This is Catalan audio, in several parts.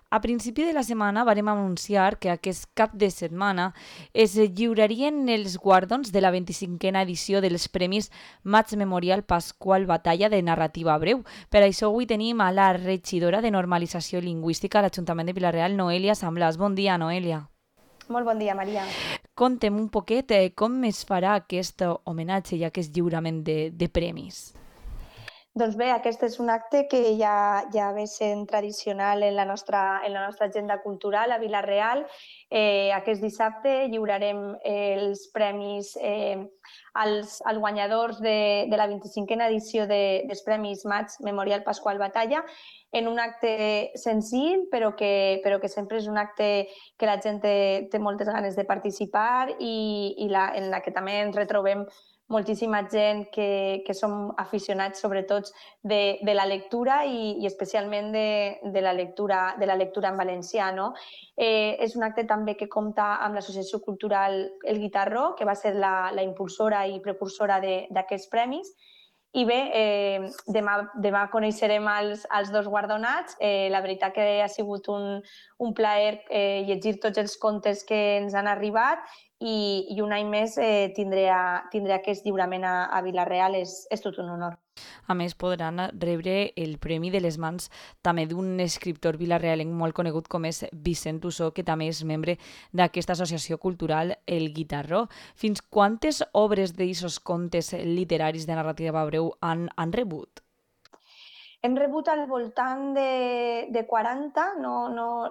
A principi de la setmana vàrem anunciar que aquest cap de setmana es lliurarien els guardons de la 25a edició dels Premis Maig Memorial Pasqual Batalla de Narrativa Breu. Per això avui tenim a la regidora de Normalització Lingüística a l'Ajuntament de Vila-real, Noelia Samblàs. Bon dia, Noelia. Molt bon dia, Maria. Conta'm un poquet com es farà aquest homenatge i aquest lliurament de premis. Doncs bé, aquest és un acte que ja ve sent tradicional en la nostra agenda cultural a Vila-real. Aquest dissabte lliurarem els premis als guanyadors de la 25a edició dels Premis Maig Memorial Pasqual Batalla, en un acte senzill, però que sempre és un acte que la gent té moltes ganes de participar i en la que també ens retrobem moltíssima gent que som aficionats sobretot de la lectura i especialment de la lectura en valencià. No? És un acte també que compta amb l'Associació Cultural El Guitarró, que va ser la impulsora i precursora d'aquests premis. I bé, demà coneixerem els dos guardonats. La veritat que ha sigut un plaer llegir tots els contes que ens han arribat i un any més tindré aquest lliurament a Vila-real. És tot un honor. A més, podran rebre el premi de les mans també d'un escriptor vilarealenc molt conegut com és Vicent Ussó, que també és membre d'aquesta associació cultural El Guitarró. Fins quantes obres d'aquests contes literaris de narrativa breu han rebut? Hem rebut al voltant de 40,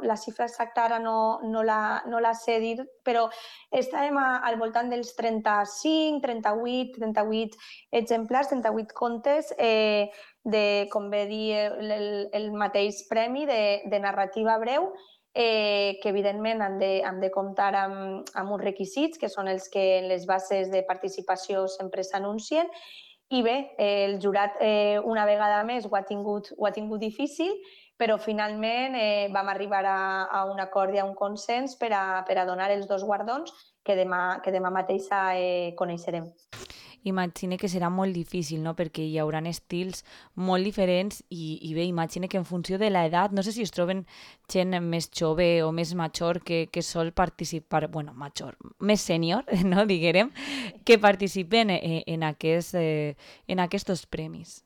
la xifra exacta ara no la sé dir, però estàvem al voltant dels 35, 38 exemplars, 38 contes com bé dir, el mateix premi de narrativa breu, que evidentment han de comptar amb uns requisits, que són els que en les bases de participació sempre s'anuncien. I bé, el jurat una vegada més ho ha tingut difícil, però finalment vam arribar a un acord i a un consens per a donar els dos guardons que demà mateix coneixerem. Imagine que serà molt difícil, no? Perquè hi haurà estils molt diferents i bé, imagine que en funció de l'edat, no sé si es troben gent més jove o més major que sol participar, bueno, major, més sènior, no, diguem, que participen en aquests premis.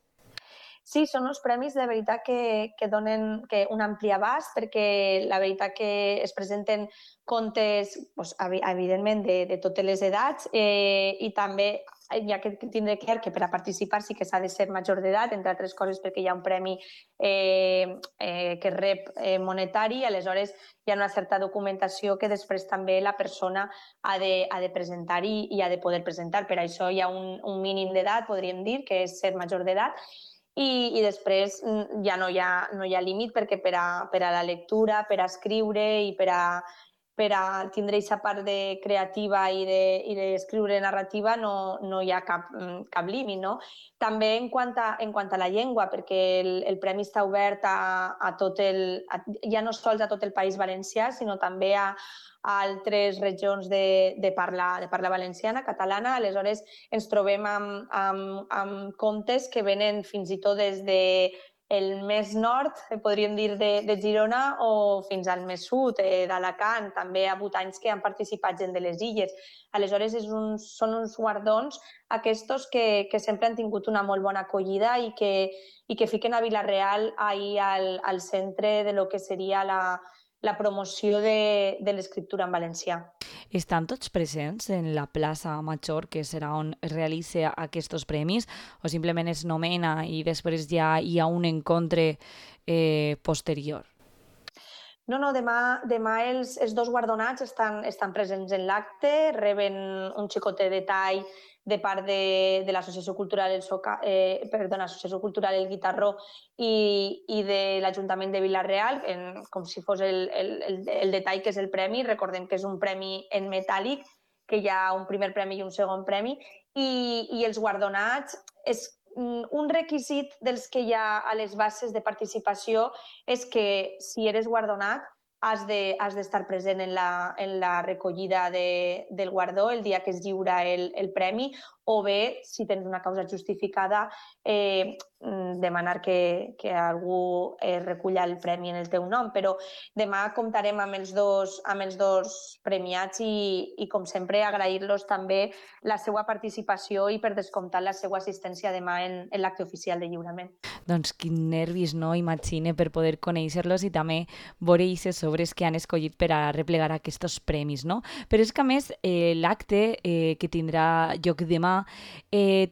Sí, són uns premis de veritat que donen un ampli abast, perquè la veritat que es presenten contes, doncs, evidentment, de totes les edats i també hi ha que tindre clar que per a participar sí que s'ha de ser major d'edat, entre altres coses perquè hi ha un premi que rep monetari, aleshores hi ha una certa documentació que després també la persona ha de presentar i ha de poder presentar. Per això hi ha un mínim d'edat, podríem dir, que és ser major d'edat, i després ja no hi ha límit, perquè per a la lectura, per a escriure i per a tindre aquesta part creativa i d'escriure narrativa no hi ha cap límit. No? També en quant a la llengua, perquè el premi està obert ja no sols a tot el País Valencià, sinó també a altres regions de parla valenciana, catalana. Aleshores ens trobem amb contes que venen fins i tot des el més nord, podríem dir, de Girona, o fins al més sud, d'Alacant. També ha hagut anys que han participat gent de les illes. Aleshores són uns guardons aquests que sempre han tingut una molt bona acollida i que fiquen a Vila-real ahir al centre de lo que seria la promoció de l'escriptura en valencià. Estan tots presents en la plaça Major, que serà on es realitza aquests premis, o simplement es nomena i després ja hi ha un encontre posterior? No, demà els dos guardonats estan presents en l'acte, reben un xicotet de tall de part de l'Associació Cultural Associació Cultural El Guitarró i de l'Ajuntament de Vila-real, com si fos el detall que és el premi. Recordem que és un premi en metàl·lic, que hi ha un primer premi i un segon premi, i els guardonats és un requisit dels que hi ha a les bases de participació, és que si eres guardonat has d'estar present en la recollida del guardó el dia que es lliura el premi, o bé, si tens una causa justificada, demanar que algú reculla el premi en el teu nom. Però demà comptarem amb els dos premiats i com sempre, agrair-los també la seva participació i, per descomptat, la seva assistència demà en l'acte oficial de lliurament. Doncs quin nervis, no? Imagine per poder conèixer-los i també veure aquestes obres que han escollit per a replegar aquests premis, no? Però és que, a més, l'acte que tindrà lloc demà,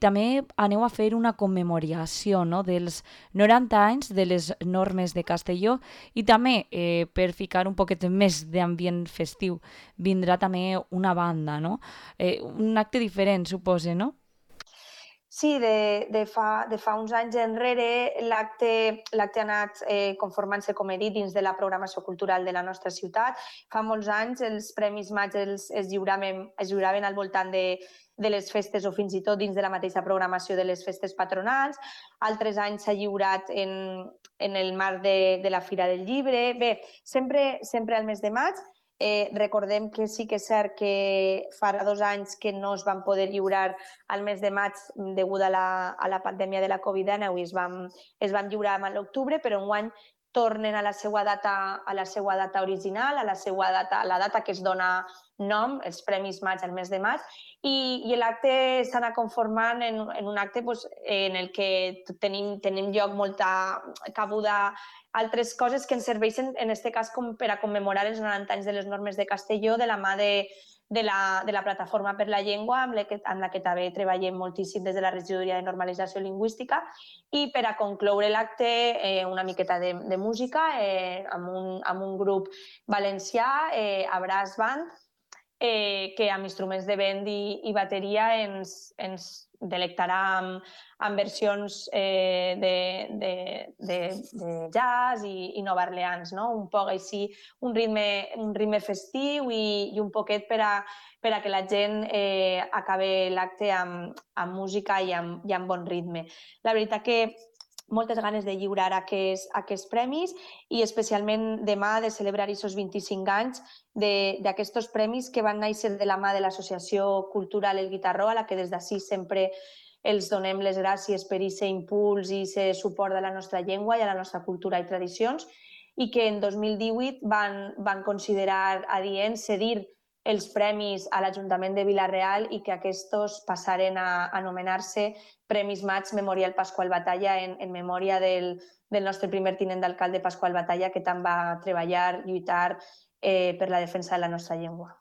també aneu a fer una commemoració, no?, dels 90 anys de les normes de Castelló i també, per ficar un poquet més d'ambient festiu, vindrà també una banda, no? Un acte diferent, supose, no? Sí, de fa uns anys enrere l'acte ha anat conformant-se, com he dit, dins de la programació cultural de la nostra ciutat. Fa molts anys els Premis Maig es lliuraven al voltant de les festes o fins i tot dins de la mateixa programació de les festes patronals. Altres anys s'ha lliurat en el marc de la Fira del Llibre. Bé, sempre al mes de maig. Recordem que sí que és cert que farà 2 anys que no es van poder lliurar al mes de maig degut a la pandèmia de la Covid-19 i es van lliurar a l'octubre, però enguany tornen a la seva data original, a la data que es dona nom, els Premis Maig al mes de maig, i l'acte s'ha anat conformant en un acte en el que tenim lloc molta cabuda altres coses que ens serveixen, en aquest cas, com per a commemorar els 90 anys de les normes de Castelló de la mà de la Plataforma per la Llengua, amb la que també treballem moltíssim des de la Regidoria de Normalització Lingüística, i per a concloure l'acte una miqueta de música amb un grup valencià, a Brass Band, que amb instruments de vent i bateria ens delectarà amb versions de jazz i Nova Orleans, no? Un poc així, un ritme festiu i un poquet per a que la gent acabi l'acte amb música i amb bon ritme. La veritat que moltes ganes de lliurar aquests premis i especialment demà de celebrar aquests 25 anys d'aquests premis que van néixer de la mà de l'Associació Cultural El Guitarró, a la que des d'ací sempre els donem les gràcies per aquest impuls i aquest suport a la nostra llengua i a la nostra cultura i tradicions, i que en 2018 van considerar adient cedir els premis a l'Ajuntament de Vila-real i que aquests passaren a anomenar-se Premis Maig Memorial Pasqual Batalla en memòria del nostre primer tinent d'alcalde Pasqual Batalla, que tant va treballar, lluitar per la defensa de la nostra llengua.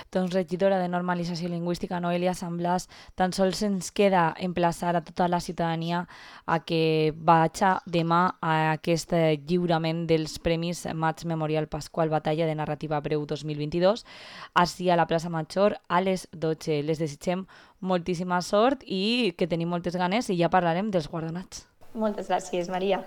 Doncs, regidora de Normalització Lingüística, Noelia San Blas, tan sols ens queda emplaçar a tota la ciutadania a que vagi demà a aquest lliurament dels Premis Maig Memorial Pasqual Batalla de Narrativa Breu 2022, així a la plaça Major a les 12. Les desitgem moltíssima sort i que tenim moltes ganes i ja parlarem dels guardonats. Moltes gràcies, Maria.